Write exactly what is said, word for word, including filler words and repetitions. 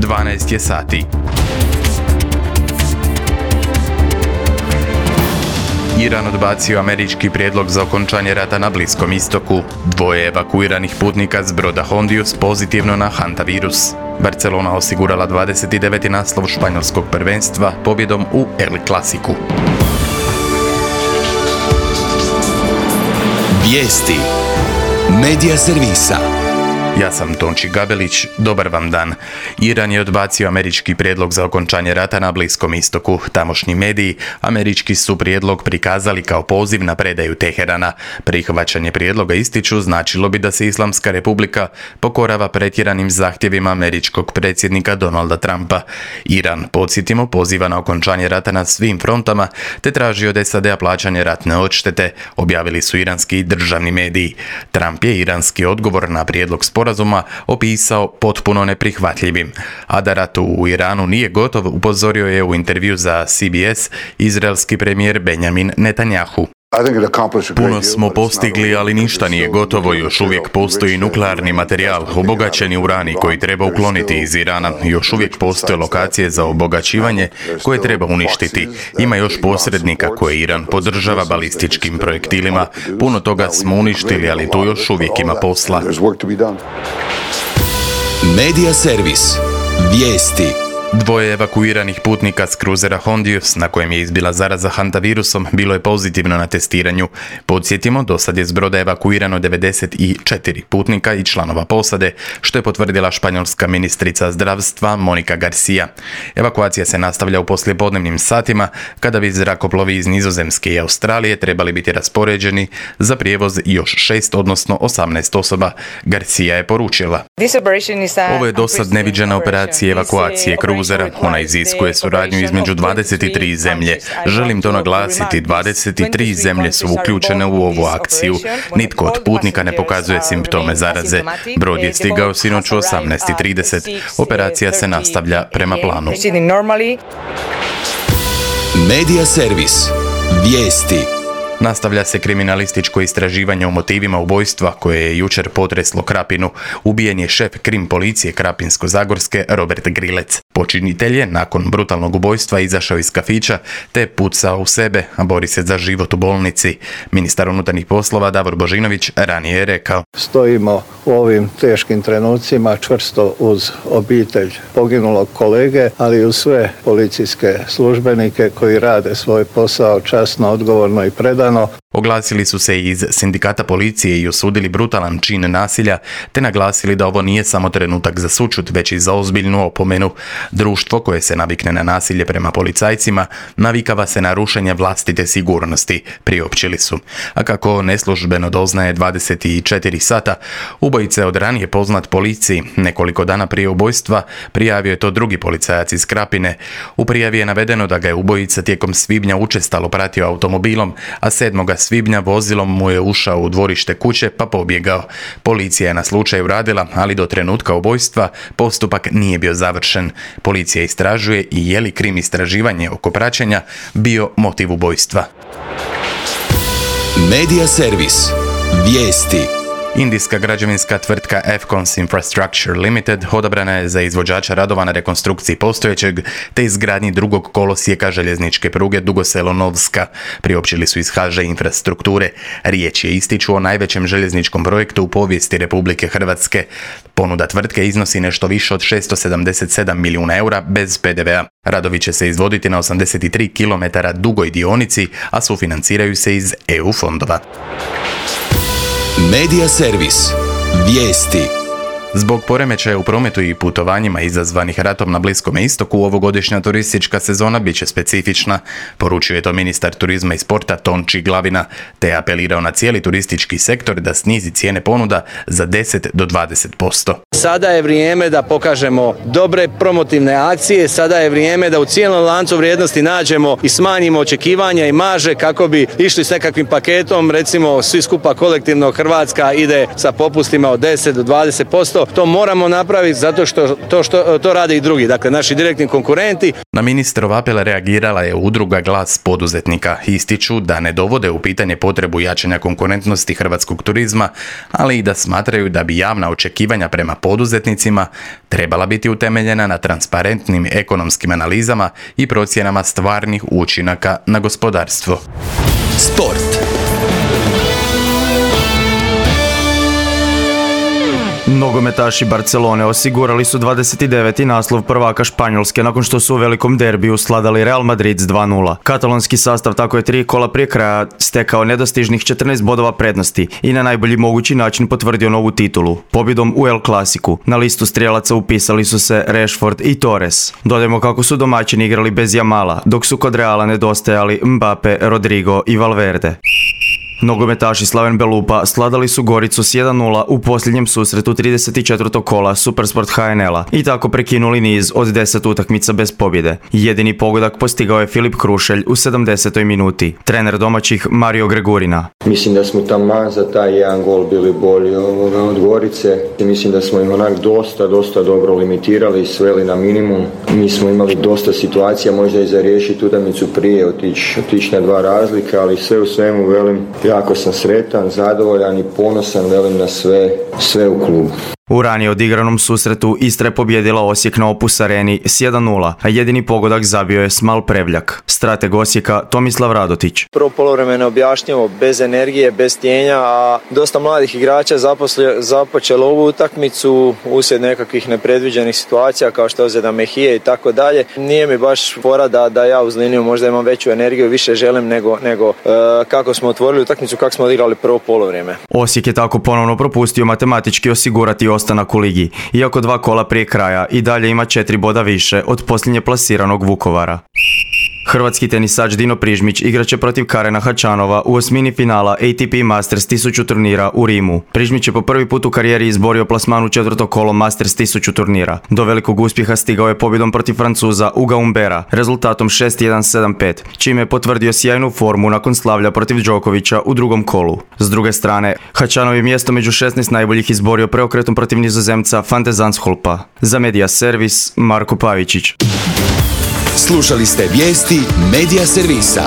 dvanaest je sati. Iran odbacio američki prijedlog za okončanje rata na Bliskom istoku. Dvoje evakuiranih putnika s broda Hondius pozitivno na hantavirus. Barcelona osigurala dvadeset deveti naslov španjolskog prvenstva pobjedom u El Clasicu. Vijesti Medija servisa. Ja sam Tonči Gabelić, dobar vam dan. Iran je odbacio američki prijedlog za okončanje rata na Bliskom istoku. Tamošnji mediji američki su prijedlog prikazali kao poziv na predaju Teherana. Prihvaćanje prijedloga, ističu, značilo bi da se Islamska republika pokorava pretjeranim zahtjevima američkog predsjednika Donalda Trumpa. Iran, podsjetimo, poziva na okončanje rata na svim frontama te traži od S A D-a plaćanje ratne odštete, objavili su iranski državni mediji. Trump je iranski odgovor na prijedlog sporazuma Sporazuma opisao potpuno neprihvatljivim. A da rat u Iranu nije gotov, upozorio je u intervju za C B S izraelski premijer Benjamin Netanjahu. Puno smo postigli, ali ništa nije gotovo. Još uvijek postoji nuklearni materijal, obogaćeni urani koji treba ukloniti iz Irana. Još uvijek postoje lokacije za obogaćivanje koje treba uništiti. Ima još posrednika koje Iran podržava balističkim projektilima. Puno toga smo uništili, ali tu još uvijek ima posla. Medija servis. Vijesti. Dvoje evakuiranih putnika s kruzera Hondius, na kojem je izbila zaraza hantavirusom, bilo je pozitivno na testiranju. Podsjetimo, do sad je s broda evakuirano devedeset četiri putnika i članova posade, što je potvrdila španjolska ministrica zdravstva Monika Garcia. Evakuacija se nastavlja u poslijepodnevnim satima, kada bi zrakoplovi iz Nizozemske i Australije trebali biti raspoređeni za prijevoz još šest, odnosno osamnaest osoba. Garcia je poručila: Ovo je dosad neviđena operacija evakuacije kruzera. Ona iziskuje suradnju između dvadeset tri zemlje. Želim to naglasiti, dvadeset tri zemlje su uključene u ovu akciju. Nitko od putnika ne pokazuje simptome zaraze. Brod je stigao sinoć u osamnaest trideset. Operacija se nastavlja prema planu. Medija servis. Vijesti. Nastavlja se kriminalističko istraživanje o motivima ubojstva koje je jučer potreslo Krapinu. Ubijen je šef krim policije Krapinsko-zagorske Robert Grilec. Počinitelj je nakon brutalnog ubojstva izašao iz kafića te pucao u sebe, a bori se za život u bolnici. Ministar unutarnjih poslova Davor Božinović ranije je rekao: Stojimo u ovim teškim trenucima čvrsto uz obitelj poginulog kolege, ali i uz sve policijske službenike koji rade svoj posao časno, odgovorno i predano. Oglasili su se iz sindikata policije i osudili brutalan čin nasilja, te naglasili da ovo nije samo trenutak za sućut, već i za ozbiljnu opomenu. Društvo koje se navikne na nasilje prema policajcima navikava se na rušenje vlastite sigurnosti, priopćili su. A kako neslužbeno doznaje dvadeset četiri sata, ubojica je od ranije poznat policiji. Nekoliko dana prije ubojstva prijavio je to drugi policajac iz Krapine. U prijavi je navedeno da ga je ubojica tijekom svibnja učestalo pratio automobilom, a sedmoga svibnja vozilom mu je ušao u dvorište kuće pa pobjegao. Policija je na slučaju radila, ali do trenutka ubojstva postupak nije bio završen. Policija istražuje i je li krim istraživanje oko praćenja bio motiv ubojstva. Medija servis. Vijesti. Indijska građevinska tvrtka Afcons Infrastructure Limited odabrana je za izvođača radova na rekonstrukciji postojećeg te izgradnji drugog kolosijeka željezničke pruge Dugo Selo-Novska, priopćili su iz H Ž Infrastrukture. Riječ je, ističu, o najvećem željezničkom projektu u povijesti Republike Hrvatske. Ponuda tvrtke iznosi nešto više od šesto sedamdeset sedam milijuna eura bez P D V a. Radovi će se izvoditi na osamdeset tri kilometara dugoj dionici, a sufinanciraju se iz E U fondova. Medija servis. Vijesti. Zbog poremećaja u prometu i putovanjima izazvanih ratom na Bliskom istoku, ovogodišnja turistička sezona bit će specifična, poručio je to ministar turizma i sporta Tonči Glavina, te apelirao na cijeli turistički sektor da snizi cijene ponuda za deset do dvadeset posto. Sada je vrijeme da pokažemo dobre promotivne akcije, sada je vrijeme da u cijelom lancu vrijednosti nađemo i smanjimo očekivanja i marže kako bi išli s nekakvim paketom, recimo svi skupa kolektivno Hrvatska ide sa popustima od deset do dvadeset posto. to, to moramo napraviti zato što to, što, to rade i drugi, dakle naši direktni konkurenti. Na ministrov apel reagirala je udruga Glas poduzetnika. Ističu da ne dovode u pitanje potrebu jačanja konkurentnosti hrvatskog turizma, ali i da smatraju da bi javna očekivanja prema poduzetnicima trebala biti utemeljena na transparentnim ekonomskim analizama i procjenama stvarnih učinaka na gospodarstvo. Sport. Nogometaši Barcelone osigurali su dvadeset deveti naslov prvaka Španjolske nakon što su u velikom derbiju sladali Real Madrid s dva nula. Katalonski sastav tako je tri kola prije kraja stekao nedostižnih četrnaest bodova prednosti i na najbolji mogući način potvrdio novu titulu. Pobjedom u El Clasicu na listu strijelaca upisali su se Rashford i Torres. Dodajmo kako su domaćini igrali bez Jamala, dok su kod Reala nedostajali Mbappe, Rodrigo i Valverde. Nogometaši Slaven Belupa sladali su Goricu s jedan nula u posljednjem susretu trideset četvrtog kola Supersport H N L-a i tako prekinuli niz od deset utakmica bez pobjede. Jedini pogodak postigao je Filip Krušelj u sedamdesetoj minuti. Trener domaćih Mario Gregurina. Mislim da smo taman za taj jedan gol bili bolji od Gorice. Mislim da smo ih onak dosta, dosta dobro limitirali i sveli na minimum. Mi smo imali dosta situacija, možda i za riješiti utakmicu prije, otići otić na dva razlika, ali sve u svemu velim, jako sam sretan, zadovoljan i ponosan velim na sve, sve u klubu. U ranije odigranom susretu Istra je pobjedila Osijek na Opus Areni s jedan nula, a jedini pogodak zabio je Smal Prevljak. Strateg Osijeka Tomislav Radotić. Prvo poluvreme neobjašnjivo, bez energije, bez tijenja, a dosta mladih igrača zaposlje, započelo ovu utakmicu uslijed nekakvih nepredviđenih situacija kao što je ozljeda Mehije i tako dalje. Nije mi baš fora da, da ja uz liniju možda imam veću energiju, više želim nego, nego e, kako smo otvorili utakmicu, kako smo odigrali prvo poluvreme. Osijek je tako ponovno propustio matematički osigurati ostanak u ligi, iako dva kola prije kraja i dalje ima četiri boda više od posljednje plasiranog Vukovara. Hrvatski tenisač Dino Prižmić igraće protiv Karena Hačanova u osmini finala A T P Masters tisuću turnira u Rimu. Prižmić je po prvi put u karijeri izborio plasman u četvrto kolo Masters tisuću turnira. Do velikog uspjeha stigao je pobjedom protiv Francuza Uga Umbera rezultatom šest jedan sedam pet, čime je potvrdio sjajnu formu nakon slavlja protiv Đokovića u drugom kolu. S druge strane, Hačanov je mjesto među šesnaest najboljih izborio preokretom protiv Nizozemca Van de Zandschulpa. Za Media Servis, Marko Pavičić. Slušali ste vijesti Media Servisa.